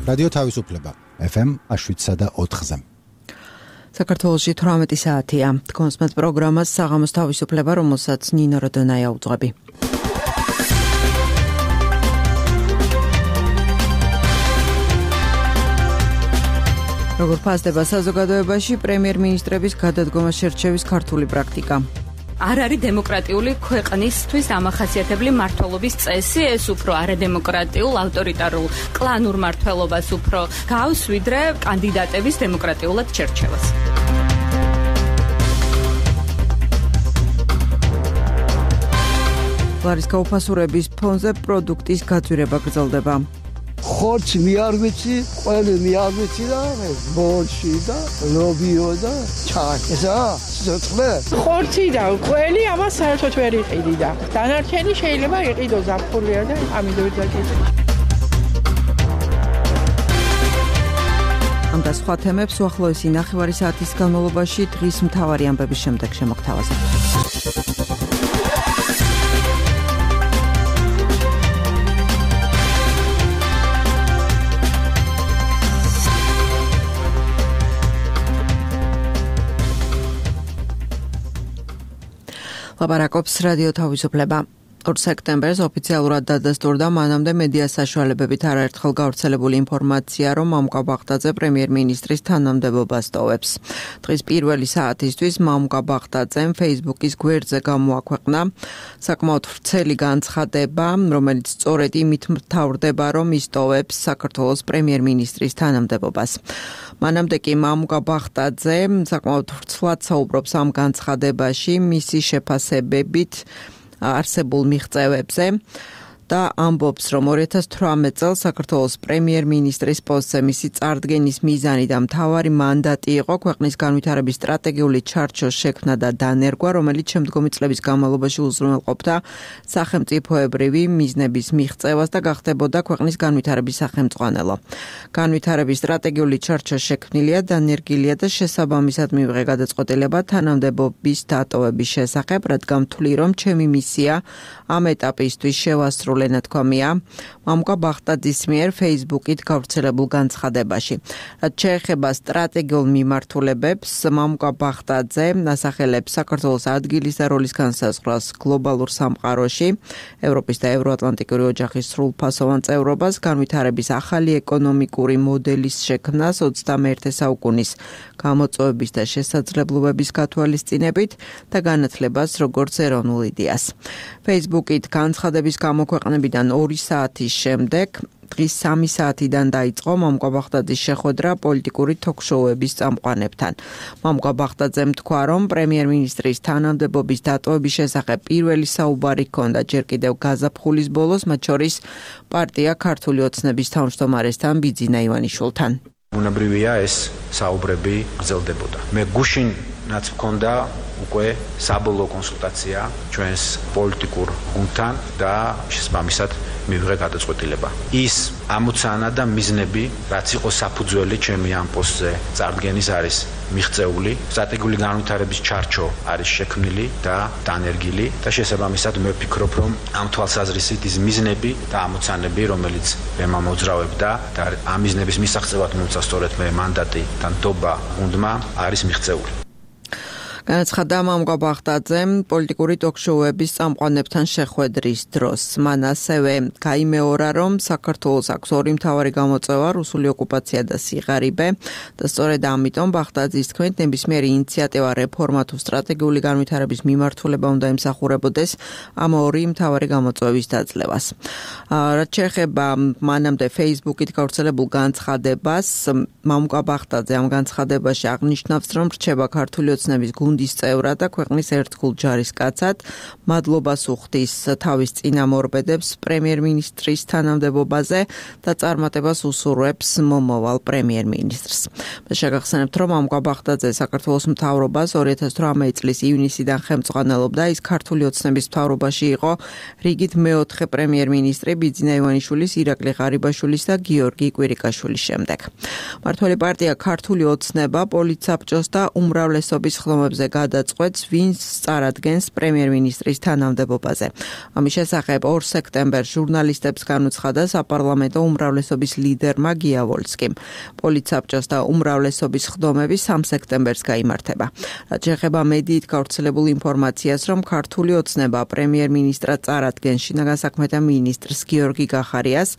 რადიო თავისუფლება FM 107.4-ზე. საქართველოში 18 საათია. კონსმეთ პროგრამას საღამოს თავისუფლება, რომელსაც ნინო როდონაია უძღვები. როგორ ფასდება საზოგადოებაში პრემიერ-მინისტრების გადადგომა შერჩევის ქართული პრაქტიკა? არ არის დემოკრატიული ქვეყნისთვის დამახასიათებელი მმართველობის წესი, ეს უფრო არადემოკრატიულ, ავტორიტარულ, კლანურ მმართველობას უფრო გავს, ვიდრე კანდიდატების დემოკრატიულად შერჩევას. ლარის გაუფასურების ფონზე პროდუქტის გაძვირება გრძელდება. ხორცი არ ვიცი, ყველი არ ვიცი და ბოლში და ლობიო და ჩაი. ესა სოწყლე. ხორცი და ყველი ამას საერთოდ ვერ იყიდი და დანარჩენი შეიძლება იყიდო ზაფხულია და ამიტომ დაგიწყე. ამ და სხვა თემებს უახლოესი ნახევარი საათის განმავლობაში დღის მთავარი ამბების შემდეგ შემოგთავაზებთ. ლაპარაკობს რადიო თავისუფლება. 2 სექტემბერს ოფიციალურად დადასტურდა მანამდე მედია საშუალებებით არაერთხელ გავრცელებული ინფორმაცია, რომ მამუკა ბაღდაძე პრემიერ-მინისტრის თანამდებობას ტოვებს. დღის პირველი საათისთვის მამუკა ბაღდაძემ Facebook-ის გვერდზე გამოაქვეყნა საკმაოდ ვრცელი განცხადება, რომელიც სწორედ იმით მთავრდება, რომ ის ტოვებს საქართველოს პრემიერ-მინისტრის თანამდებობას. მანამდე კი მამუკა ბაღდაძე საკმაოდ ვრცლად საუბრობს ამ განცხადებაში მისი შეფასებებით არსებულ მიღწევებზე და ამბობს, რომ 2018 წელს საქართველოს პრემიერ-მინისტრის პოსტზე მისი წარდგენის მიზანი და მთავარი მანდატი იყო ქვეყნის განვითარების სტრატეგიული ჩარჩოს შექმნა და დანერგვა, რომელიც შემდგომი წლების განმავლობაში უზრუნველყოფდა სახელმწიფოებრივი მიზნების მიღწევას და გახდებოდა ქვეყნის განვითარების სახელმწიფო. განვითარების სტრატეგიული ჩარჩო შექმნილია, დანერგილია და შესაბამისად მივიღე გადაწყვეტილება თანამდებობის დატოვების შესახებ, რადგან ვთვლი, რომ ჩემი მისია ამ ეტაპისთვის შევასრულე ნათქვამია მამუკა ბაღდაძის მიერ Facebook-ით გავრცელებულ განცხადებაში. რაც შეეხება სტრატეგიულ მიმართულებებს, მამუკა ბაღდაძე ასახელებს საქართველოს ადგილის და როლის განსაზღვრას გლობალურ სამყაროში, ევროპის და ევროატლანტიკური ოჯახის სრულფასოვან წევრობას, განვითარების ახალი ეკონომიკური მოდელის შექმნას 21 საუკუნის გამოწვევების და შესაძლებლობების გათვალისწინებით და განათლებას როგორც ეროვნულ იდეას. Facebook-ით განცხადების გამოქვეყნებიდან 2 საათის შემდეგ დღის 3 საათიდან დაიწყო მამუკა ბაღდაძის შეხვედრა პოლიტიკური თოქ-შოუების წამყვანებთან. მამუკა ბაღდაძემ თქვა, რომ პრემიერ-მინისტრის თანამდებობის დატოვების შესახებ პირველი საუბარი ჰქონდა ჯერ კიდევ გაზაფხულის ბოლოს, მათ შორის პარტია ქართული ოცნების თავმჯდომარესთან ბიძინა ივანიშვილთან. უნებრივია ეს საუბრები გრძელდებოდა. მე გუშინაც მქონდა უკვე საბოლოო კონსულტაცია ჩვენს პოლიტიკურ გუნდთან და შესაბამისად მივიღე გადაწყვეტილება. ის ამოცანა და მიზნები, რაც იყო საფუძველი ჩემი ამ პოსტზე წარდგენის არის მიღწეული, სტრატეგიული განვითარების ჩარჩო არის შექმნილი და დანერგილი და შესაბამისად მე ვფიქრობ, რომ ამ თვალსაზრისით ის მიზნები და ამოცანები, რომელიც მე მომოძრავებდა და ამ მიზნების მისაღწევად მომცა სწორედ მე მანდატი და ნდობა გუნდმა არის მიღწეული. განაცხადა მამუკა ბაღდაძემ პოლიტიკური ტოქ-შოუების წამყვანებთან შეხვედრის დროს. მან ასევე გაიმეორა, რომ საქართველოს აქვს ორი მთავარი გამოწვევა, რუსული ოკუპაცია და სიღარიბე და სწორედ ამიტომ ბაღდაძის თქმით ნებისმიერი ინიციატივა, რეფორმა თუ სტრატეგიული განვითარების მიმართულება უნდა ემსახურებოდეს ამ ორი მთავარი გამოწვევის დაძლევას. რაც შეეხება მანამდე Facebook-ით გავრცელებულ განცხადებას, მამუკა ბაღდაძე ამ განცხადებაში აღნიშნავს, რომ რჩება ქართული ოცნების გუნდის წევრად და ქვეყნის ერთგულ ჯარისკაცად, მადლობას უხდის თავის წინამორბედებს პრემიერ-მინისტრის თანამდებობაზე და წარმატებას უსურვებს მომავალ პრემიერ-მინისტრს. შეგახსენებთ, რომ მამუკა ბაღდაძე საქართველოს მთავრობას 2018 წლის ივნისიდან ხელმძღვანელობდა, ის ქართული ოცნების მთავრობაში იყო რიგით მეოთხე პრემიერ-მინისტრი ბიძინა ივანიშვილის, ირაკლი ღარიბაშვილის და გიორგი კვირიკაშვილის შემდეგ. მმართველი პარტია ქართული ოცნება პოლიტსაბჭოს და უმრავლესობის ხლომებზე კანონზე გადაწყვეტს, ვინც წარადგენს პრემიერ-მინისტრის თანამდებობაზე. ამის შესახებ 2 სექტემბერს ჟურნალისტებს განუცხადა საპარლამენტო უმრავლესობის ლიდერმა გია ვოლსკიმ. პოლიცსაბჭოს და უმრავლესობის ხდომები 3 სექტემბერს გაიმართება. რაც შეეხება მედიით გავრცელებულ ინფორმაციას, რომ ქართული ოცნება პრემიერ-მინისტრად წარადგენს შინაგან საქმეთა მინისტრს გიორგი გახარიას,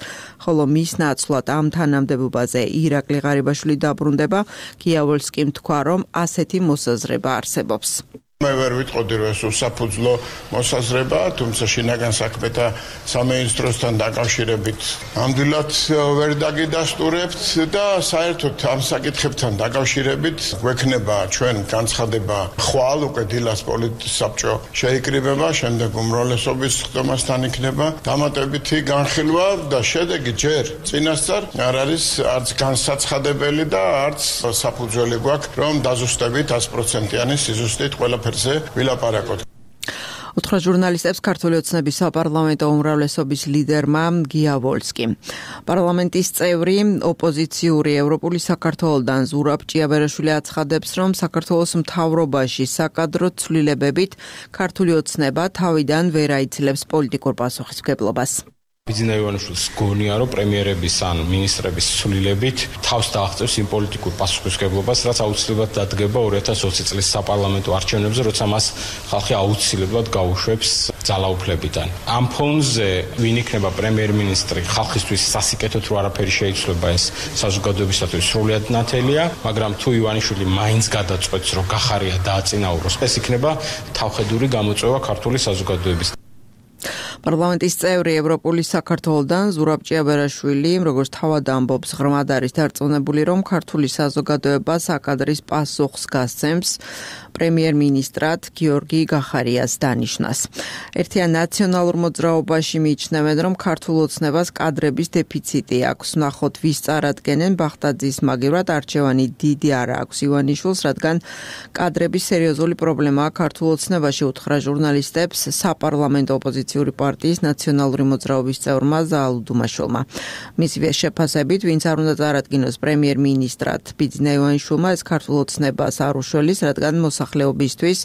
ხოლო მის ნაცვლად ამ თანამდებობაზე ირაკლი ღარიბაშვილი დაბრუნდება. გია ვოლსკიმ თქვა, რომ ასეთი მოსაზრება არსებობს. მე ვერ ვიტყოდი, რომ ეს უსაფუძვლო მოსაზრება, თუმცა შინაგან საქმეთა სამინისტროსთან დაკავშირებით ამდვილად ვერ დაგიდასტურებთ და საერთოდ ამ საკითხებთან დაკავშირებით გვექნება ჩვენ განცხადება ხვალ უკვე დილას პოლიცსაბჭო შეიკრიბება, შემდეგ უმრავლესობის ხდომასთან იქნება დამატებითი განხილვა და შედეგი ჯერ წინასწარ არ არის არც განსაცხადებელი და არც საფუძველი გვაქვს, რომ დაზუსტებით 100%-იანი სიზუსტით ყველა ვილაპარაკოთ. უთხრა ჟურნალისტებს ქართული ოცნების საპარლამენტო უმრავლესობის ლიდერმა გია ვოლსკიმ. პარლამენტის წევრი ოპოზიციური ევროპული საქართველოდან ზურაბ ჭიაბერაშვილი აცხადებს, რომ საქართველოს მთავრობაში საკადრო ცვლილებებით ქართული ოცნება თავიდან ვერ აიცილებს პოლიტიკურ პასუხისმგებლობას. ბიძინა ივანიშვილის გონია, რომ პრემიერების ან მინისტრების ცვლილებით თავს დააღწევს იმ პოლიტიკურ პასუხისმგებლობას, რაც აუცილებლად დადგება 2020 წლის საპარლამენტო არჩევნებზე, როცა მას ხალხი აუცილებლად გაუშვებს ძალაუფლებიდან. ამ ფონზე ვინ იქნება პრემიერ-მინისტრი, ხალხისთვის სასიკეთოდ რო არაფერი შეიცვლება, ეს საზოგადოებისათვის სრულიად ნათელია, მაგრამ თუ ივანიშვილი მაინც გადაწყვეტს, რომ გახარია დააწინაუროს, ეს იქნება თავხედური გამოწვევა ქართული საზოგადოების. პარლამენტის წევრი ევროპული საქართველოდან ზურაბ ჭიაბერაშვილი, როგორც თავად ამბობს, ღრმად არის დარწმუნებული, რომ ქართული საზოგადოება საკადრის პასუხს გასცემს პრემიერ-მინისტრად გიორგი გახარიას დანიშვნას. ერთიან ნაციონალურ მოძრაობაში მიიჩნევენ, რომ ქართულ ოცნებას კადრების დეფიციტი აქვს. ვნახოთ, ვის წარადგენენ ბახტაძის მაგივრად არჩევანი დიდი არ აქვს ივანიშვილს, რადგან კადრების სერიოზული პრობლემაა ქართულ ოცნებაში, უთხრა ჟურნალისტებს საპარლამენტო ოპოზიციური პარტიის ნაციონალური მოძრაობის წევრმა ზაალ დუმაშვილმა. მისივე შეფასებით, ვინც არ უნდა წარადგინოს პრემიერ-მინისტრად ბიძინა ივანიშვილმა, ეს ქართულ ოცნებას არ უშველის, რადგან მოსახლეობისთვის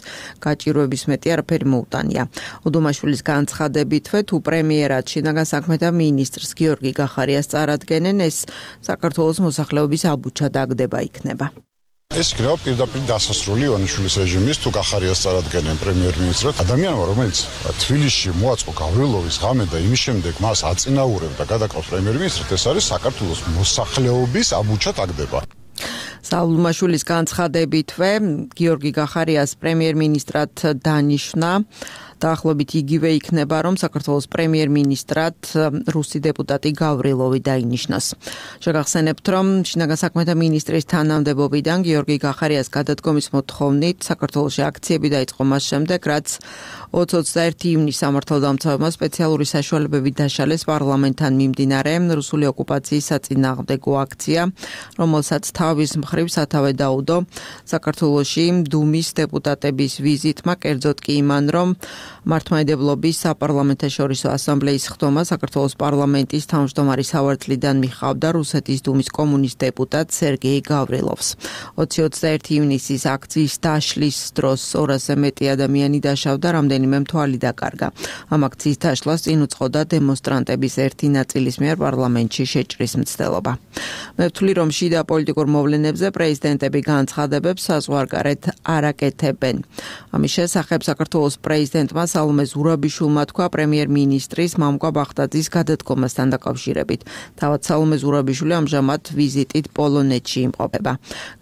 გაჭირვების მეტი არაფერი მოუტანია. უდუმაშვილის განცხადებითვე, თუ პრემიერად შინაგან საქმეთა მინისტრს გიორგი გახარიას წარადგენენ, ეს საქართველოს მოსახლეობის აბუჩა დაგდება იქნება. ეს იქნება პირდაპირ დასასრული ივანიშვილის რეჟიმის, თუ გახარიას წარადგენენ პრემიერ-მინისტრად. ადამიანმა, რომელიც თბილისში მოაწყო გავრილოვის ღამე და იმის შემდეგ მას აწინაურებდა გადაკრავს პრემიერ-მინისტრად, ეს არის საქართველოს მოსახლეობის აბუჩა დაგდება. საულმაშვილის განცხადებითვე, გიორგი გახარიას პრემიერ-მინისტრად დანიშნა დაახლოებით იგივე იქნება, რომ საქართველოს პრემიერ-მინისტრად რუსი დეპუტატი გავრილოვი დაინიშნოს. შეგახსენებთ, რომ შინაგან საქმეთა მინისტრის თანამდებობიდან გიორგი გახარიას გადადგომის მოთხოვნით საქართველოში აქციები დაიწყო მას შემდეგ, რაც 20-21 ივნისს სამართალდამცავებმა სპეციალური საშუალებები დაშალეს პარლამენტთან მიმდინარე რუსული ოკუპაციის საწინააღმდეგო აქცია, რომელსაც თავის მხრივ სათავე დაუდო საქართველოში დუმის დეპუტატების ვიზიტმა, კერძოდ კი იმან, რომ მართლმადიდებლობის საპარლამენტაშორისო ასამბლეის ხდომა საქართველოს პარლამენტის თავმჯდომარის სავარძლიდან მიხავდა რუსეთის დუმის კომუნისტ დეპუტატ სერგეი გავრილოვს. 20-21 ივნისის აქციის დაშლის დროს 200-ზე მეტი ადამიანი დაშავდა, რამდენიმე მთვალი დაკარგა. ამ აქციის დაშლას წინ უძღოდა დემონსტრანტების ერთი ნაწილის მიერ პარლამენტში შეჭრის მცდელობა. მე ვთვლი, რომ შიდა პოლიტიკურ მოვლენებზე პრეზიდენტები განცხადებებს საზღვარგარეთ არ აკეთებენ. ამის შესახებ საქართველოს პრეზიდენტმა სალომე ზურაბიშვილმა თქვა პრემიერ-მინისტრის მამკვა ბახტაძის გადადგომასთან დაკავშირებით. თავად სალომე ზურაბიშვილი ამჟამად ვიზიტით პოლონეთში იმყოფება.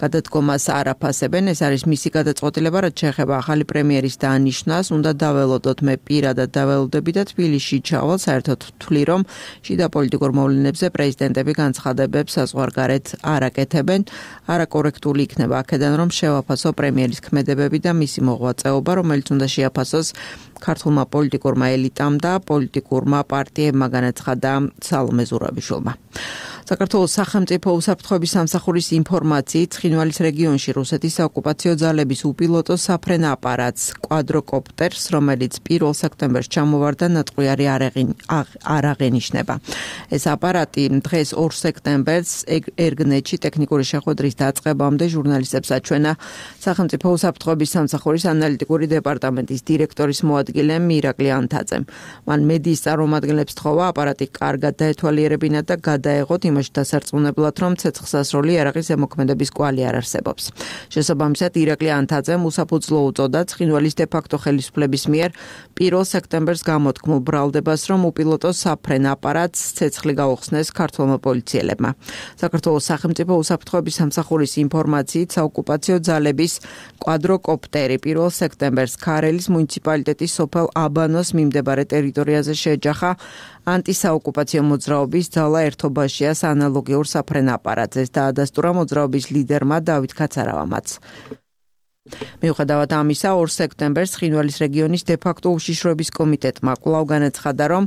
გადადგომას არ აფასებენ, ეს არის მისი გადაწყვეტილება, რაც შეეხება ახალი პრემიერის დანიშნას, უნდა დაველოდოთ, მე პირადად დაველოდები და თბილისში ჩავალ. საერთოდ ვთვლი, რომ შიდა პოლიტიკურ მოვლენებზე პრეზიდენტები განცხადებებს საზღვარგარეთ არ აკეთებენ. არაკორექტული იქნება აქედან, რომ შევაფასო პრემიერის ქმედებები და მისი მოღვაწეობა, რომელიც უნდა შეაფასოს ქართულმა პოლიტიკურმა ელიტამ და პოლიტიკურმა პარტიებმა, განაცხადა სალომე ზურაბიშვილმა. საქართველოს სახელმწიფო უსაფრთხოების სამსახურის ინფორმაციით ცხინვალის რეგიონში რუსეთის საოკუპაციო ძალების უპილოტო საფრენ აპარატს კვადროკოპტერს, რომელიც 1 სექტემბერს ჩამოვარდა, ნატყვიარი არ აღენიშნება. ეს აპარატი დღეს 2 სექტემბერს ერგნეთში ტექნიკური შეხვედრის დაწყებამდე ჟურნალისტებს აჩვენა სახელმწიფო უსაფრთხოების სამსახურის ანალიტიკური დეპარტამენტის დირექტორის მოადგილე მირაკლი ანთაძემ. მან მედიის წარმომადგენლებს თხოვა აპარატი კარგად დაეთვალიერებინათ და გადაეღოთ იმაში დასარწმუნებლად, რომ ცეცხლსასროლი იარაღის ზემოქმედების კვალი არ არსებობს. შესაბამისად, ირაკლი ანთაძემ უსაფუძვლო უწოდა ცხინვალის დე-ფაქტო ხელისუფლების მიერ 1 სექტემბერს გამოთქმულ ბრალდებას, რომ უპილოტო საფრენ აპარატს ცეცხლი გაუხსნეს ქართველმა პოლიციელებმა. საქართველოს სახელმწიფო უსაფრთხოების სამსახურის ინფორმაციით საოკუპაციო ძალების კვადროკოპტერი 1 სექტემბერს ქარელის მუნიციპალიტეტის სოფელ აბანოს მიმდებარე ტერიტორიაზე შეეჯახა ანტისაოკუპაციო მოძრაობის ძალა ერთობაშიას ანალოგიურ საფრენ აპარატს, დაადასტურა მოძრაობის ლიდერმა დავით ქაცარავამაც. მიუხედავად ამისა, 2 სექტემბერს ცხინვალის რეგიონის დე-ფაქტო უშიშროების კომიტეტმა კვლავ განაცხადა, რომ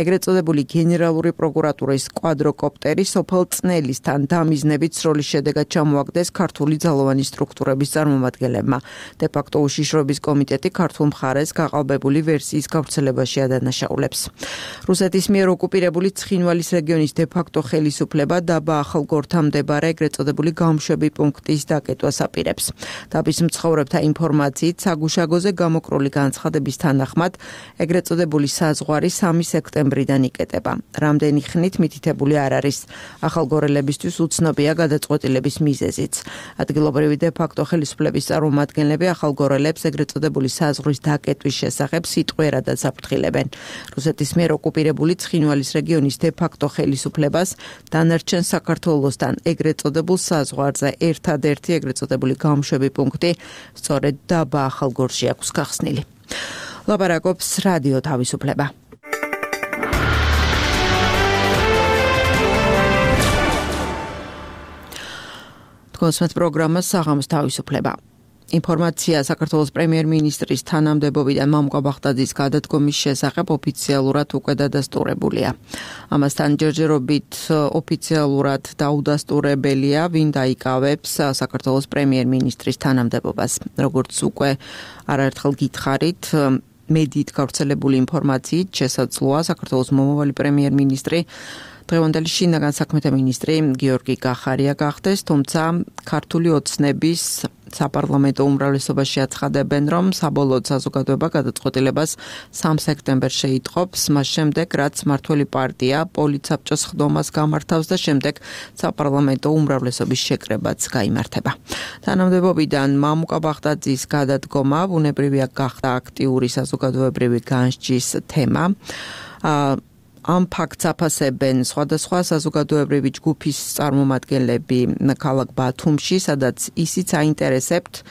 ეგრეთ წოდებული გენერალური პროკურატურის კვადროკოპტერი სოფელ წნელისთან დამიზნებით სროლის შედეგად ჩამოაგდეს ქართული ძალოვანი სტრუქტურების წარმომადგენლებმა. დე-ფაქტო უშიშროების კომიტეტი ქართულ მხარეს გაყალბებული ვერსიის გავრცელებაში ადანაშაულებს. რუსეთის მიერ ოკუპირებული ცხინვალის რეგიონის დე-ფაქტო ხელისუფლება დაბა ახალგორთან მდებარე ეგრეთ წოდებული გამშვები პუნქტის დაკეტვას აპირებს. დაბის მცხოვრებთა ინფორმაციით საგუშაგოზე გამოკრული განცხადების თანახმად ეგრეთ წოდებული საზღვარი 3 სექტემბრიდან იკეტება. რამდენი ხნით მითითებული არ არის. ახალგორელებისთვის უცნობია გადაწყვეტილების მიზეზიც. ადგილობრივი დე-ფაქტო ხელისუფლების წარმომადგენლები ახალგორელებს ეგრეთ წოდებული საზღვრის დაკეტვის შესახებ სიტყვიერადაც აფრთხილებენ. რუსეთის მიერ ოკუპირებული ცხინვალის რეგიონის დე-ფაქტო ხელისუფლებას დანარჩენ საქართველოსთან ეგრეთ წოდებულ საზღვარზე ერთადერთი ეგრეთ წოდებული გამშვები პუნქტი სწორედ დაბა ახალგორში აქვს გახსნილი. ლაპარაკობს რადიო თავისუფლება. თქვენს პროგრამას საღამოს თავისუფლება. ინფორმაცია საქართველოს პრემიერ-მინისტრის თანამდებობიდან მამუკა ბახტაძის გადადგომის შესახებ ოფიციალურად უკვე დადასტურებულია. ამასთან ჯერჯერობით ოფიციალურად დაუდასტურებელია, ვინ დაიკავებს საქართველოს პრემიერ-მინისტრის თანამდებობას. როგორც უკვე არაერთხელ გითხარით, მედიით გავრცელებული ინფორმაციით შესაძლოა საქართველოს მომავალი პრემიერ-მინისტრი დღევანდელი შინაგან საქმეთა მინისტრი გიორგი კახარია გახდეს, თუმცა ქართული ოცნების საპარლამენტო უმრავლესობაში აცხადებენ, რომ საბოლოოდ საზოგადოება გადაწყვეტილებას 3 სექტემბერს შეიტყობს, მას შემდეგ, რაც მმართველი პარტია პოლიცსაბჭოს ხდომას გამართავს და შემდეგ საპარლამენტო უმრავლესობის შეკრებაც გაიმართება. თანამდებობიდან მამუკა ბახტაძის გადადგომა ბუნებრივია გახდა აქტიური საზოგადოებრივი განსჯის თემა. ამ ფაქტს აფასებენ სხვადასხვა საზოგადოებრივი ჯგუფის წარმომადგენლები ქალაქ ბათუმში, სადაც ისიც აინტერესებთ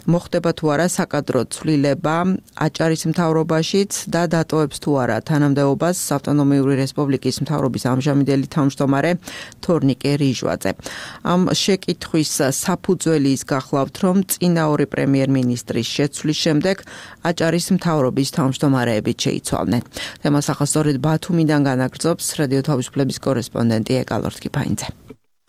მოხდება თუ არა საკადრო ცვლილება აჭარის მთავრობაშიც და დატოვებს თუ არა თანამდებობას ავტონომიური რესპუბლიკის მთავრობის ამჟამინდელი თავმჯდომარე თორნიკე რიჟვაძე. ამ შეკითხვის საფუძველი ის გახლავთ, რომ წინა ორი პრემიერ-მინისტრის შეცვლის შემდეგ აჭარის მთავრობის თავმჯდომარეებით შეიცვალნენ. თემას ახლა სწორედ ბათუმიდან განაგრძობს რადიო თავისუფლების კორესპონდენტი ეკალორთ კიფაინძე.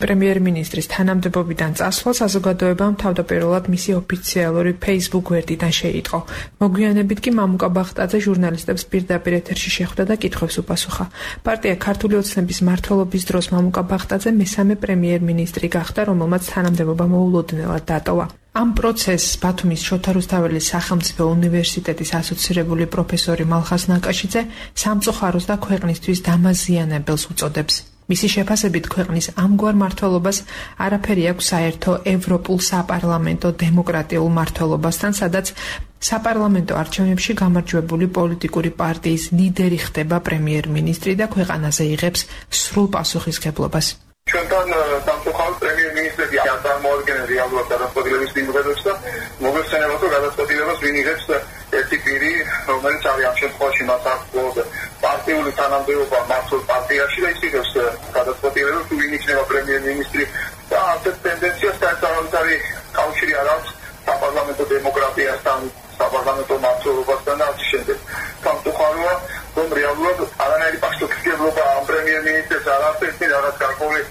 პრემიერ-მინისტრის თანამდებობიდან წასვლა საზოგადოებამ თავდაპირველად მისი ოფიციალური Facebook გვერდიდან შეიტყო. მოგვიანებით კი მამუკა ბახტაძე ჟურნალისტებს პირდაპირ ეთერში შეხვდა და კითხვებს უპასუხა. პარტია ქართული ოცნების მმართველობის დროს მამუკა ბახტაძე მესამე პრემიერ-მინისტრი გახდა, რომელმაც თანამდებობა მოულოდნელად დატოვა. ამ პროცესს ბათუმის შოთა რუსთაველის სახელმწიფო უნივერსიტეტის ასოცირებული პროფესორი მალხაზ ნაკაშიძე სამწუხაროს და ქვეყნისთვის დამაზიანებელს უწოდებს. მისი შეფასებით ქვეყნის ამგვარ მმართველობას არაფერი აქვს საერთო ევროპულ საპარლამენტო დემოკრატიულ მმართველობასთან, სადაც საპარლამენტო არჩევნებში გამარჯვებული პოლიტიკური პარტიის ლიდერი ხდება პრემიერ-მინისტრი და ქვეყანაზე იღებს სრულ პასუხისმგებლობას. ჩვენთან სამწუხაროდ პრემიერ-მინისტრები არ წარმოადგენენ რეალურად გადაწყვეტილების მიღებებს და მოგეხსენებათ, რომ გადაწყვეტილებას ვინ იღებს ერთი პირი, რომელიც არის ამ შემთხვევაში მას აქვს პარტიული თანამდებობა მართულ პარტიაში და ის იღებს გადაწყვეტილებას, თუ ვინ იქნება პრემიერ-მინისტრი და ასეთ ტენდენციას საერთოდ კავშირი არ აქვს საპარლამენტო დემოკრატიასთან, საპარლამენტო მმართველობასთან და ასე შემდეგ. სამწუხაროა, რომ რეალურად არანაირი პასუხისმგებლობა ამ პრემიერ-მინისტრს არ აქვს, რაღაც გარკვეული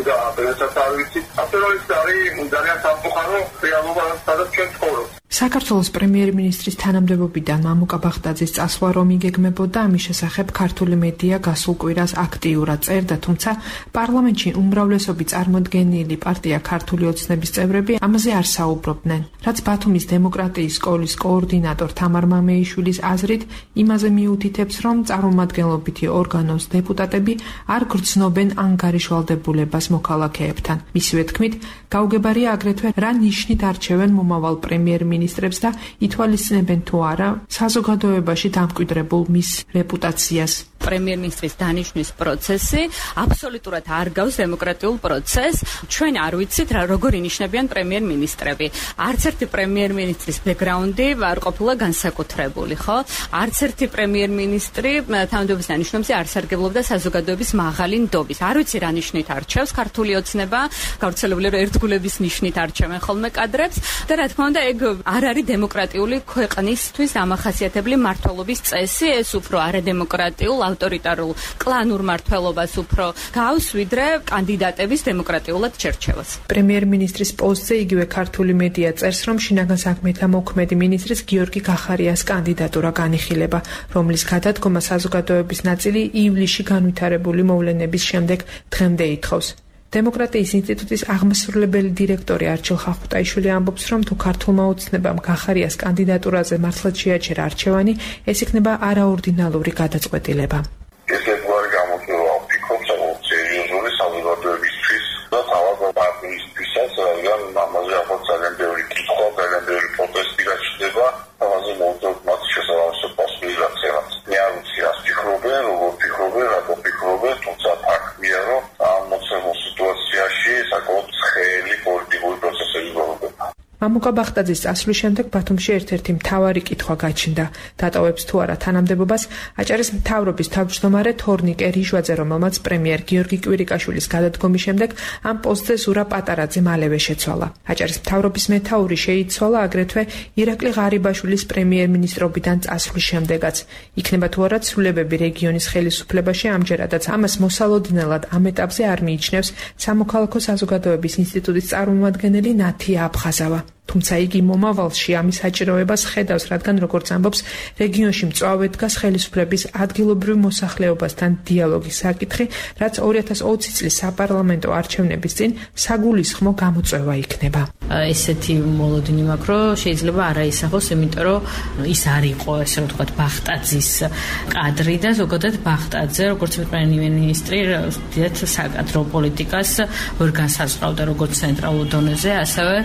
და ბედასაც არ ვიცი. ასე რომ ის არის ძალიან სამწუხარო რეალობა, სადაც ჩვენ ცხოვრობთ. საქართველოს პრემიერ-მინისტრის თანამდებობიდან მამუკა ბახტაძის წასვლა რომ იგეგმებოდა, ამის შესახებ ქართული მედია გასულ კვირას აქტიურად წერდა, თუმცა პარლამენტში უმრავლესობით წარმოდგენილი პარტია ქართული ოცნების წევრები ამაზე არ საუბრობდნენ. რაც ბათუმის დემოკრატიის სკოლის კოორდინატორ თამარ მამეიშვილის აზრით იმაზე მიუთითებს, რომ წარმომადგენლობითი ორგანოს დეპუტატები არ გრძნობენ ანგარიშვალდებულებას მოქალაქეებთან. მისივე თქმით, გაუგებარია აგრეთვე რა ნიშნით არჩევენ მომავალ პრემიერ-მინისტრებს და ითვალისწინებენ თუ არა საზოგადოებაში დამკვიდრებულ მის რეპუტაციას. პრემიერ-მინისტრის დანიშვნის პროცესი აბსოლუტურად არ გავს დემოკრატიულ პროცესს. ჩვენ არ ვიცით როგორ ინიშნებიან პრემიერ-მინისტრები. არც ერთი პრემიერ-მინისტრის ბექგრაუნდი არ ყოფილა განსაკუთრებული, ხო? არც ერთი პრემიერ-მინისტრი თანამდებობის დანიშვნებზე არ სარგებლობდა საზოგადოების მაღალი ნდობის. არ ვიცი რა ნიშნით არჩევს ქართული ოცნება, გავრცელებული რომ ერთგულების ნიშნით არჩევენ ხოლმე კადრებს და რა თქმა უნდა ეგ არ არის დემოკრატიული ქვეყნისთვის დამახასიათებელი მმართველობის წესი, ეს უფრო არადემოკრატიულ ავტორიტარულ კლანურ მმართველობას უფრო გავს, ვიდრე კანდიდატების დემოკრატიულად შერჩევას. პრემიერ-მინისტრის პოსტზე იგივე ქართული მედია წერს, რომ შინაგან საქმეთა მოქმედი მინისტრის გიორგი კახარიას კანდიდატურა განიხილება, რომლის გადადგომა საზოგადოების ნაწილი ივლისში განვითარებული მოვლენების შემდეგ დღემდე ითხოვს. დემოკრატიის ინსტიტუტის აღმასრულებელი დირექტორი არჩილ ხახუტაიშვილი ამბობს, რომ თუ ქართულმა ოცნებამ კახარიას კანდიდატურაზე მართლაც შეაჩერა არჩევანი, ეს იქნება არაორდინალური გადაწყვეტილება. ეს ერთგვარი გამოწვევა ვფიქრობ, საკმაოდ სერიოზული საზოგადოებისთვის და თავად პარტიისთვისაც, რადგან ამაზე ახლა ძალიან ბევრი კითხვა, ძალიან ბევრი პროტესტი გაჩნდება, ამაზე მოუწევთ მათ შესაბამისად პასუხი გაცემას. მე არ ვიცი რას ფიქრობენ, როგორ ფიქრობენ, რატო ფიქრობენ, თუმცა ფაქტია, რომ ამ მოცემულ სიტუაციაში საკმაოდ ცხელი პოლიტიკური პროცესები გვხვდება. მამუკა ბახტაძის წასვლის შემდეგ ბათუმში ერთ-ერთი მთავარი კითხვა გაჩნდა. დატოვებს თუ არა თანამდებობას აჭარის მთავრობის თავმჯდომარე თორნიკე რიჟვაძე, რომელმაც პრემიერ გიორგი კვირიკაშვილის გადადგომის შემდეგ ამ პოსტზე ზურა პატარაძე მალევე შეცვალა. აჭარის მთავრობის მეთაური შეიცვალა აგრეთვე ირაკლი ღარიბაშვილის პრემიერ-მინისტრობიდან წასვლის შემდეგაც. იქნება თუ არა ცვლილებები რეგიონის ხელისუფლებაში, ამჯერადაც ამას მოსალოდნელად ამ ეტაპზე არ მიიჩნევს სამოქალაქო საზოგადოების ინსტიტუტის წარმომადგენელი ნათია აფხაზავა. თუმცა იგი მომავალში ამის საჭიროებას ხედავს, რადგან როგორც ამბობს, რეგიონში მწვავედ დგას ხელისუფლების ადგილობრივ მოსახლეობასთან დიალოგის საკითხი, რაც 2020 წლის საპარლამენტო არჩევნების წინ საგულისხმო გამოწვევა იქნება. ესეთი მოლოდინი მაქვს, რომ შეიძლება არაისახოს, იმიტომ რომ ის არ იყო, ესე რომ ვთქვათ, ბახტაძის კადრი და ზოგადად ბახტაძე, როგორც პრემიერ-მინისტრი, დიდად საკადრო პოლიტიკას ვერ განსაზღვრავდა როგორც ცენტრალურ დონეზე, ასევე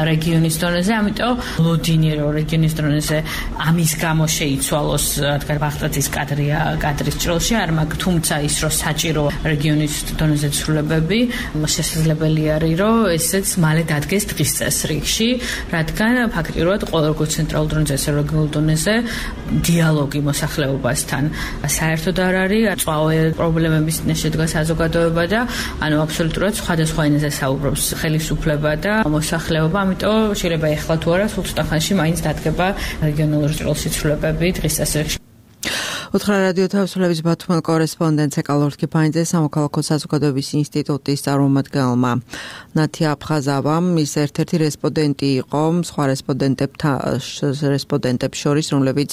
რეგიონის დონეზე, ამიტომ ლოდინი რო რეგიონის დონეზე ამის გამო შეიცვალოს, რადგან ბახტაძის კადრის ჭრილში არ მაქვს, თუმცა ის რო საჭირო რეგიონის დონეზე ცვლილებები, შესაძლებელი არის, რომ ესეც მალე დადგეს დღის წესრიგში, რადგან ფაქტიურად ყველა როგორც ცენტრალურ დონეზე, ესე რეგიონულ დონეზე დიალოგი მოსახლეობასთან საერთოდ არ არის, წვავე პრობლემების შედგა საზოგადოება და ანუ აბსოლუტურად სხვადასხვა ენაზე საუბრობს ხელისუფლება და მოსახლეობა, ამიტომ შეიძლება ეხლა თუ არა, სულ ცოტა ხანში მაინც დადგება რეგიონული ჭრილში ცვლილებები დღის წესრიგში. უთხრა რადიო თავისუფლების ბათუმელ კორესპონდენტს ეკალორ კიფაინძე სამოქალაქო საზოგადოების ინსტიტუტის წარმომადგენელმა ნათია აფხაზავამ ის ერთ-ერთი რესპონდენტი იყო სხვა რესპონდენტებს შორის, რომლებიც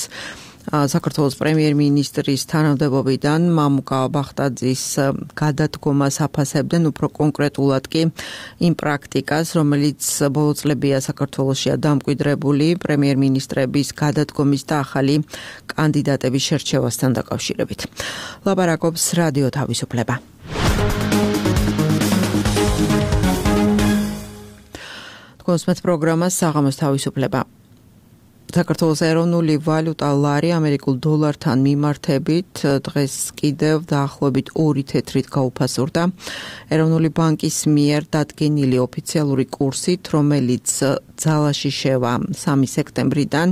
საქართველოს პრემიერ-მინისტრის თანამდებობიდან მამუკა ბახტაძის გადადგომას აფასებდნენ, უფრო კონკრეტულად კი იმ პრაქტიკას, რომელიც ბოლო წლებია საქართველოსშია დამკვიდრებული პრემიერ-მინისტრების გადადგომის და ახალი კანდიდატების შერჩევასთან დაკავშირებით. ლაპარაკობს რადიო თავისუფლება. თქვენს პროგრამას საღამოს თავისუფლება. საქართველოს ეროვნული ვალუტა ლარი ამერიკულ დოლართან მიმართებით დღეს კიდევ დაახლოებით 2 თეთრით გაუფასურდა. ეროვნული ბანკის მიერ დადგენილი ოფიციალური კურსით, რომელიც ძალაში შევა 3 სექტემბრიდან,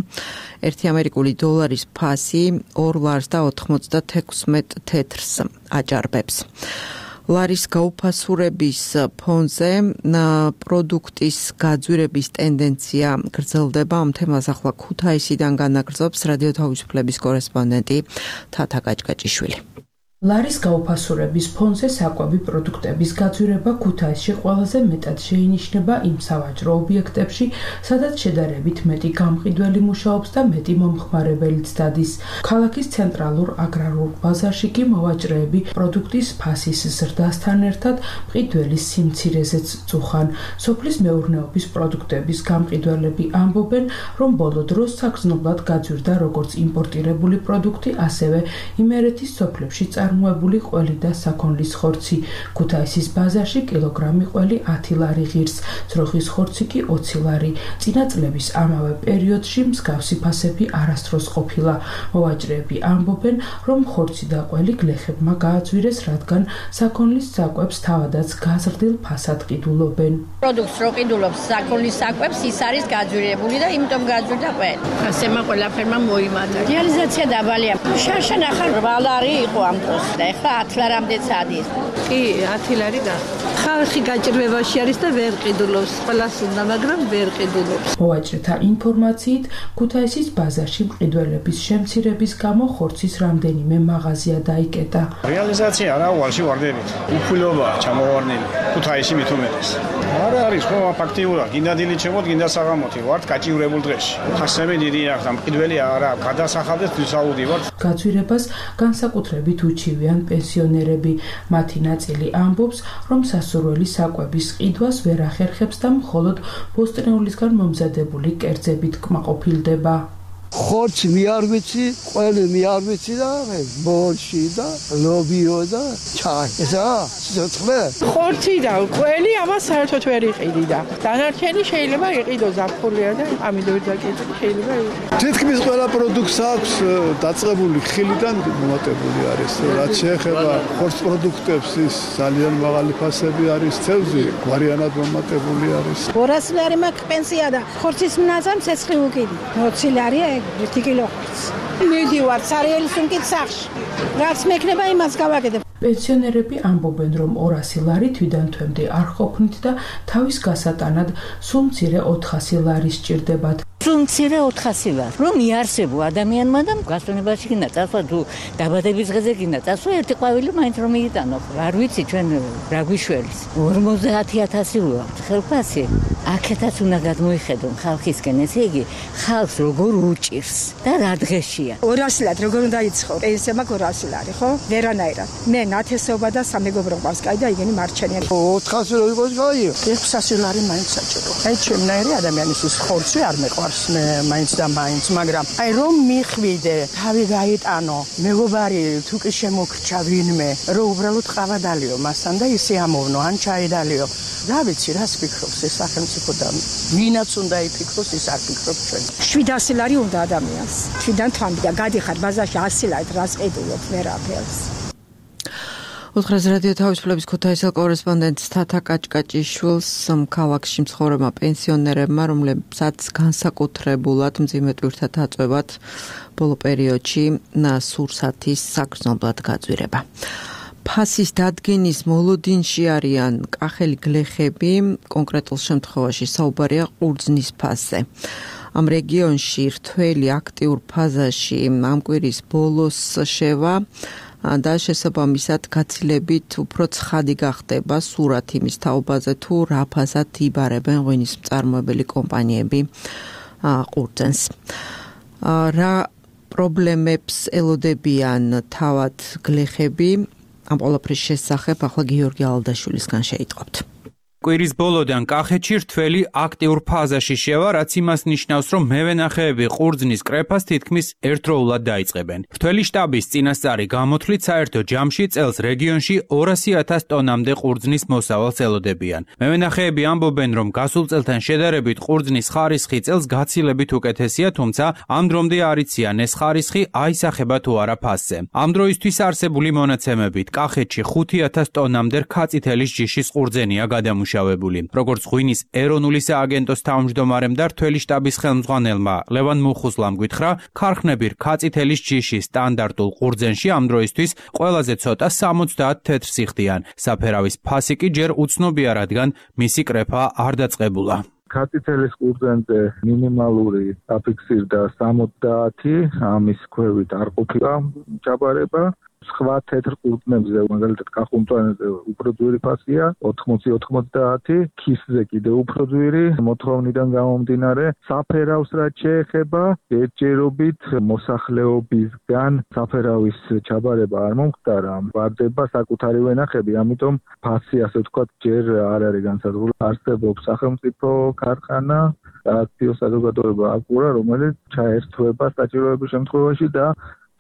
1 ამერიკული დოლარის ფასი 2 ლარს და 96 თეთრს აჭარბებს. ლარის გაუფასურების ფონზე პროდუქტის გაძვირების ტენდენცია გრძელდება. ამ თემას ახლა ქუთაისიდან განაგრძობს რადიო თავისუფლების კორესპონდენტი თათა გაჭგაჭიშვილი. ლარის გაუფასურების ფონზე საკვები პროდუქტების გაძვირება ქუთაისში ყველაზე მეტად შეინიშნება იმ სავაჭრო ობიექტებში, სადაც შედარებით მეტი გამყიდველი მუშაობს და მეტი მომხმარებელიც დადის. ქალაქის ცენტრალურ აგრარულ ბაზარში კი მოვაჭრეები პროდუქტის ფასის ზრდასთან ერთად მყიდველის სიმცირეზეც წუხან. სოფლის მეურნეობის პროდუქტების გამყიდველები ამბობენ, რომ ბოლო დროს საგრძნობლად გაძვირდა როგორც იმპორტირებული პროდუქტი, ასევე იმერეთის სოფლებში წარმოებული ყველი და საქონლის ხორცი. ქუთაისის ბაზარში კილოგრამი ყველი 10 ლარი ღირს, ძროხის ხორცი კი 20 ლარი. წინა წლების ამავე პერიოდში მსგავსი ფასები არასდროს ყოფილა. მოვაჭრეები ამბობენ, რომ ხორცი და ყველი გლეხებმა გააძვირეს, რადგან საქონლის საკვებს თავადაც გაზრდილ ფასად ყიდულობენ. პროდუქტს რო ყიდულობს საქონლის საკვებს, ის არის გაძვირებული და იმიტომ გაძვირდა ყველი. ასემა ყველაფერმა მოიმატა. რეალიზაცია დაბალია. შარშან ახალ 8 ლარი იყო ამ დროს. და ეხლა 10 ლარამდეც ადის. კი, 10 ლარი და ხალხი გაჭირვებაში არის და ვერ ყიდულობს. ყველას უნდა, მაგრამ ვერ ყიდულობს. მოვაჭრეთა ინფორმაციით, ქუთაისის ბაზარში მყიდველების შემცირების გამო ხორცის რამდენიმე მაღაზია დაიკეტა. რეალიზაცია არა უალში ვარდებით. უფულობაა ჩამოვარდნილი. ქუთაისი მით უმეტეს. არა არის ხო ფაქტიურად, გინდა დილით შემოთ, გინდა საღამოთი ვართ გაჭირვებულ დღეში. ხასები დიდი აქვს და მყიდველი არა გადასახადეს თვისაუდი ვართ. გაძვირებას განსაკუთრებით უჩივიან პენსიონერები. მათი ნაწილი ამბობს, რომ სასურველი საკვების ყიდვას ვერ ახერხებს და მხოლოდ ბოსტნეულისგან მომზადებული კერძებით კმაყოფილდება. ხორცი მე არ ვიცი, ყველი მე არ ვიცი და ბორში და ლობიო და ჩაი. ესა სიცხლე. ხორცი და ყველი ამას საერთოდ ვერ იყიდი და დანარჩენი შეიძლება იყიდოს აფხულია და ამიტომ დაკეთე შეიძლება. თითქმის ყველა პროდუქტს აქვს დაწყებული ხილიდან მომატებული არის. რაც შეეხება ხორცს პროდუქტებს, ის ძალიან მაღალი ფასები არის, ცევზი გვარიანად მომატებული არის. 200 ლარი მაქვს პენსია და ხორცის მნაზამ ცეცხლი უკიდი. 20 ლარია 1 კილო ხორცი. მივდივარ სარიელის სუნკით სახში. რაც მექნება იმას გავაკეთებ. პენსიონერები ამბობენ, რომ 200 ლარი თვიდან თვემდე არ ყოფნით და თავის გასატანად სულ მცირე 400 ლარი სჭირდებათ. სულ მცირე 400 ლარი. რომ იარსებო ადამიანმა და გასტონებაში გინდა წასვლა თუ დაბადების დღეზე გინდა წასვლა ერთი ყვავილი მაინც რომ მიიტანო. არ ვიცი ჩვენ რა გვიშველის. 50000 ვუყავთ ხელფასი. აქეთაც უნდა გადმოიხედონ ხალხისკენ, ესე იგი ხალხს როგორ უჭირს და რა დღეშია. 200 ლარი როგორ უნდა იცხო? პენსია მაქვს 200 ლარი, ხო? ვერანაირად. მე ნათესობა და სამეგობრობას კაი და იგენი მარჩენია. 400 ლარი იყოს კაი. 600 ლარი მაინც საჭირო. აი ჩემნაირი ადამიანის ხორცი არ მეყვარს მე მაინც და მაინც, მაგრამ აი რომ მიხვიდე, თავი გაიტანო, მეგობარი თუ კი შემოგრჩა ვინმე, რომ უბრალოდ ყავადალიო მასთან და ისე ამოვნო ან ჩაედალიო. რა ვიცი, რას ფიქრობს ეს სახელმწიფო და ვინაც უნდა იფიქროს, ის არ ფიქრობს ჩვენ. 700 ლარი უნდა ადამიანს. თვიდან თვამდე და გადიხარ ბაზარში 100 ლარით რას ყიდულობ ვერაფერს. ოთხრას რადიო თავისუფლების ქუთაისელ კორესპონდენტ თათა კაჭკაჭიშვილს ქალაქში მცხოვრებმა პენსიონერებმა, რომლებსაც განსაკუთრებულად მძიმე ტვირთად აწვევათ ბოლო პერიოდში სურსათის საგრძნობლად გაძვირება. ფასის დადგენის მოლოდინში არიან კახელი გლეხები, კონკრეტულ შემთხვევაში საუბარია ყურძნის ფასზე. ამ რეგიონში რთველი აქტიურ ფაზაში ამ კვირის ბოლოს შევა და შესაბამისად გაცილებით უფრო ცხადი გახდება სურათ იმის თაობაზე თუ რა ფასად იბარებენ ღვინის მწარმოებელი კომპანიები ყურძენს. რა პრობლემებს ელოდებიან თავად გლეხები? ამ ყველაფრის შესახებ ახლა გიორგი ალდაშვილისგან შეიტყობთ. კვირის ბოლოდან კახეთში რთველი აქტიურ ფაზაში შევა, რაც იმას ნიშნავს, რომ მევენახეები ყურძნის კრეფას თითქმის ერთდროულად დაიწყებენ. რთველი შტაბის წინასწარი გამოთვლით საერთო ჯამში წელს რეგიონში 200,000 ტონამდე ყურძნის მოსავალს ელოდებიან. მევენახეები ამბობენ, რომ გასულ წელთან შედარებით ყურძნის ხარისხი წელს გაცილებით უკეთესია, თუმცა ამ დრომდე არ იციან ეს ხარისხი აისახება თუ არა ფასზე. ამ დროისთვის არსებული მონაცემებით კახეთში 5,000 ტონამდე რქაწითელის ჯიშის ყურძენია გადამუშავებული. როგორც ღვინის ეროვნული სააგენტოს თავმჯდომარემ და რთველი შტაბის ხელმძღვანელმა ლევან მუხუზლამ გითხრა, ქარხნები რქაწითელის ჯიშის სტანდარტულ ყურძენში ამ დროისთვის ყველაზე ცოტა 70 თეთრს იხდიან. საფერავის ფასი კი ჯერ უცნობია, რადგან მისი კრეფა არ დაწყებულა. ქაწითელის ყურძენზე მინიმალური დაფიქსირდა 70, ამის ქვევით არ ყოფილა ჩაბარება. სხვა თეთრ ყურძნებზე, მაგალითად კახუნტვანზე უფრო ძვირი ფასია 80-90, ქისზე კიდე უფრო ძვირი, მოთხოვნიდან გამომდინარე, საფერავს რაც შეეხება, ერთჯერობით მოსახლეობისგან საფერავის ჩაბარება არ მომხდარა, ვარდება საკუთარი ვენახები, ამიტომ ფასი ასე ვთქვათ ჯერ არ არის განსაზღვრული. არსებობს სახელმწიფო ქარხანა და აქტიო საზოგადოება აკურა, რომელიც ჩაერთვება საჭიროების შემთხვევაში და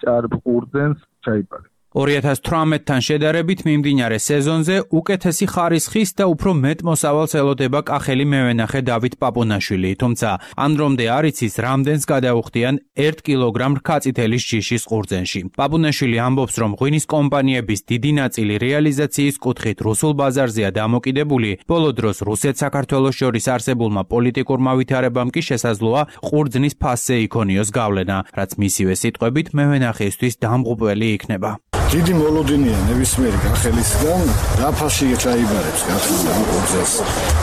ჭარბ ყურძენს ჩაიბარებს. 2018-თან შედარებით მიმდინარე სეზონზე უკეთესი ხარისხის და უფრო მეტ მოსავალს ელოდება კახელი მევენახე დავით პაპუნაშვილი, თუმცა ამ დრომდე არ იცის რამდენს გადაუხდიან 1 კილოგრამ რქაწითელის ჯიშის ყურძენში. პაპუნაშვილი ამბობს, რომ ღვინის კომპანიების დიდი ნაწილი რეალიზაციის კუთხით რუსულ ბაზარზეა დამოკიდებული, ბოლო დროს რუსეთ-საქართველოს შორის არსებულმა პოლიტიკურმა ვითარებამ კი შესაძლოა ყურძნის ფასზე იქონიოს გავლენა, რაც მისივე სიტყვებით მევენახეისთვის დამღუპველი იქნება. დიდი მოლოდინია ნებისმიერი კახელისგან რა ფასში ჩაიბარებს გახსნა ყურძენს.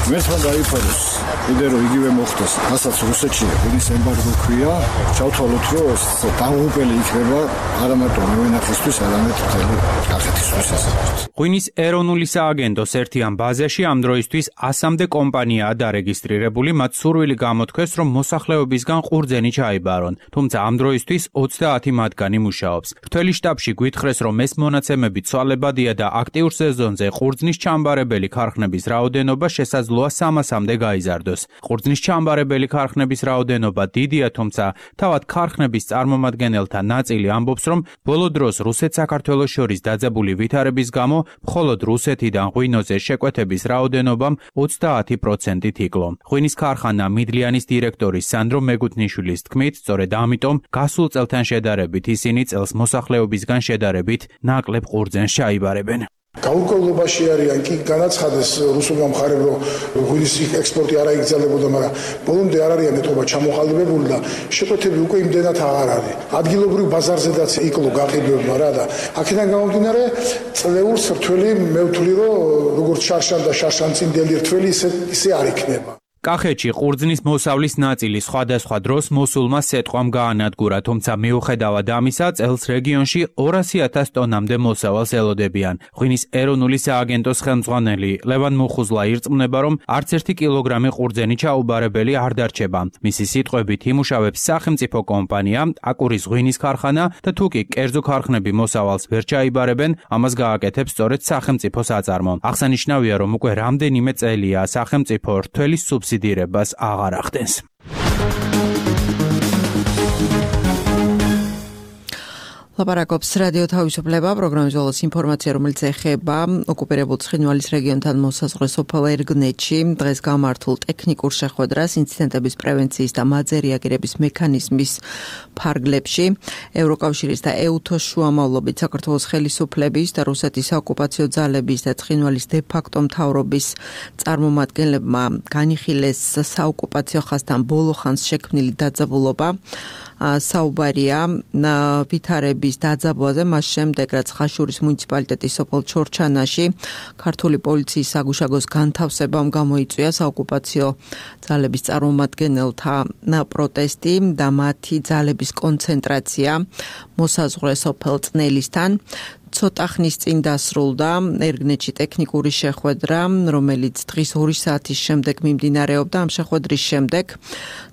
მერტმა დაიფაროს, კიდე რომ იგივე მოხდეს, რასაც რუსეთში ღვინის ემბარგო ქვია, ჩავთვალოთ, რომ ეს დამღუპელი იქნება არა მარტო მევენახისთვის, არამედ მთელი კახეთისთვის. ღვინის ეროვნული სააგენტოს ერთიან ბაზაში ამ დროისთვის 100-მდე კომპანიაა დარეგისტრირებული, მათ სურვილი გამოთქვეს, რომ მოსახლეობისგან ყურძენი ჩაიბარონ, თუმცა ამ დროისთვის 30 მათგანი მუშაობს. რთველი შტაბში გვითხრეს, რომ ეს მონაცემები ცვალებადია და აქტიურ სეზონზე ყურძნის ჩამბარებელი ქარხნების რაოდენობა შესაძლოა 300-მდე გაიზარდოს. ყურძნის ჩამბარებელი ქარხნების რაოდენობა დიდია, თუმცა თავად ქარხნების წარმომადგენელთა ნაწილი ამბობს, რომ ბოლო დროს რუსეთ-საქართველოს შორის დაძაბული ვითარების გამო მხოლოდ რუსეთიდან ღვინოზე შეკვეთების რაოდენობამ 30%-ით იკლო. ღვინის ქარხანა მიდლიანის დირექტორის სანდრო მეგუთნიშვილის თქმით, სწორედ ამიტომ გასულ წელთან შედარებით ისინი წელს მოსახლეობისგან შედარებით ნაკლებ ყურძენს ჩაიბარებენ. გაურკვევლობაში არიან კი განაცხადეს რუსულმა მხარემ, რომ ღვინის ექსპორტი არ აიგრძელებოდა, მაგრამ ბოლომდე არ არიან ეთობა ჩამოყალიბებული და შეკვეთები უკვე იმდენად აღარ არის. ადგილობრივ ბაზარზედაც იკლო გაყიდვებმა რა და აქედან გამომდინარე წლეულს რთველი მე ვთვლი, რომ როგორც შარშან და შარშანწინდელი რთველი ისე არ იქნება. კახეთში ყურძნის მოსავლის ნაწილი სხვადასხვა დროს მოსულმა სეტყვამ გაანადგურა, თუმცა მიუხედავად ამისა, წელს რეგიონში 200,000 ტონამდე მოსავალს ელოდებიან. ღვინის ეროვნული სააგენტოს ხელმძღვანელი ლევან მუხუზლა ირწმუნება, რომ არც 1 კილოგრამი ყურძენი ჩაუბარებელი არ დარჩება. მისი სიტყვებით იმუშავებს სახელმწიფო კომპანია, აკურის ღვინის ქარხანა და თუ კი კერძო ქარხნები მოსავალს ვერ ჩაიბარებენ, ამას გააკეთებს სწორედ სახელმწიფო საწარმო. აღსანიშნავია, რომ უკვე რამდენიმე წელია სახელმწიფო რთველი სუბსიდირებას აღარ ახდენს. ლაპარაკობს რადიო თავისუფლება, პროგრამის ბოლოს ინფორმაცია, რომელიც ეხება ოკუპირებულ ცხინვალის რეგიონთან მოსაზღვრე სოფელ ერგნეთში დღეს გამართულ ტექნიკურ შეხვედრას ინციდენტების პრევენციის და მათზე რეაგირების მექანიზმის ფარგლებში ევროკავშირის და EUTO-ს შუამავლობით საქართველოს ხელისუფლების და რუსეთის ოკუპაციო ძალების და ცხინვალის დე-ფაქტო მთავრობის წარმომადგენლებმა განიხილეს საოკუპაციო ხაზთან ბოლო ხანს შექმნილი დაძაბულობა. საუბარია ვითარების დაძაბვაზე მას შემდეგ, რაც ხაშურის მუნიციპალიტეტის სოფელ ჩორჩანაში ქართული პოლიციის საგუშაგოს განთავსებამ გამოიწვია საოკუპაციო ძალების წარმომადგენელთა პროტესტი და მათი ძალების კონცენტრაცია მოსაზღვრე სოფელ წნელისთან. ცოტა ხნის წინ დასრულდა ერგნეთში ტექნიკური შეხვედრა, რომელიც დღის 2 საათის შემდეგ მიმდინარეობდა. ამ შეხვედრის შემდეგ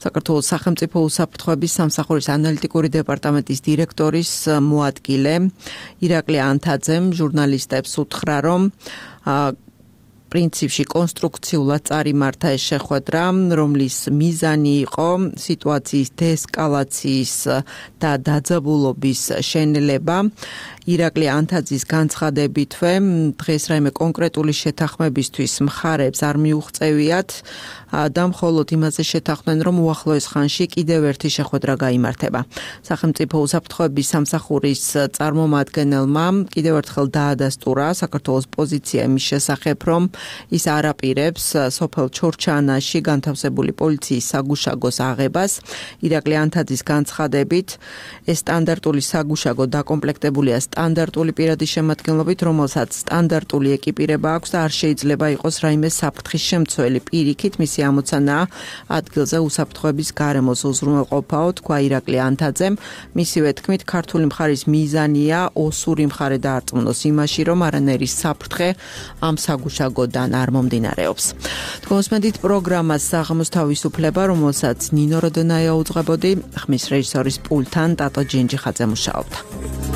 საქართველოს სახელმწიფო უსაფრთხოების სამსახურის ანალიტიკური დეპარტამენტის დირექტორის მოადგილე ირაკლი ანთაძემ ჟურნალისტებს უთხრა, რომ პრინციპში კონსტრუქციულად წარიმართა ეს შეხვედრა, რომლის მიზანი იყო სიტუაციის დეესკალაციის და დაძაბულობის შენელება. ირაკლი ანთაძის განცხადებითვე დღეს რაიმე კონკრეტული შეთანხმებისთვის მხარებს არ მიუღწევიათ და მხოლოდ იმაზე შეთანხმდნენ, რომ უახლოეს ხანში კიდევ ერთი შეხვედრა გაიმართება. სახელმწიფო უსაფრთხოების სამსახურის წარმომადგენელმა კიდევ ერთხელ დაადასტურა საქართველოს პოზიცია იმის შესახებ, რომ ის არ აპირებს სოფელ ჩორჩანაში განთავსებული პოლიციის საგუშაგოს აღებას. ირაკლი ანთაძის განცხადებით ეს სტანდარტული საგუშაგო დაკომპლექტებულია სტანდარტული პირადი შემადგენლობით, რომელსაც სტანდარტული ეკიპირება აქვს და არ შეიძლება იყოს რაიმე საფრთხის შემცველი. პირიქით მისი ამოცანაა ადგილზე უსაფრთხოების გარემოს უზრუნველყოფაო, თქვა ირაკლი ანთაძემ. მისივე თქმით, ქართული მხარის მიზანია ოსური მხარე დაარწმუნოს იმაში, რომ არანაირი საფრთხე ამ საგუშაგოდან არ მომდინარეობს. თქვენსმენდით პროგრამას საღამოს თავისუფლება, რომელსაც ნინო როდონაია უძღვებოდი, ხმის რეჟისორის პულთან ტატო ჯინჯიხაძე მუშაობდა.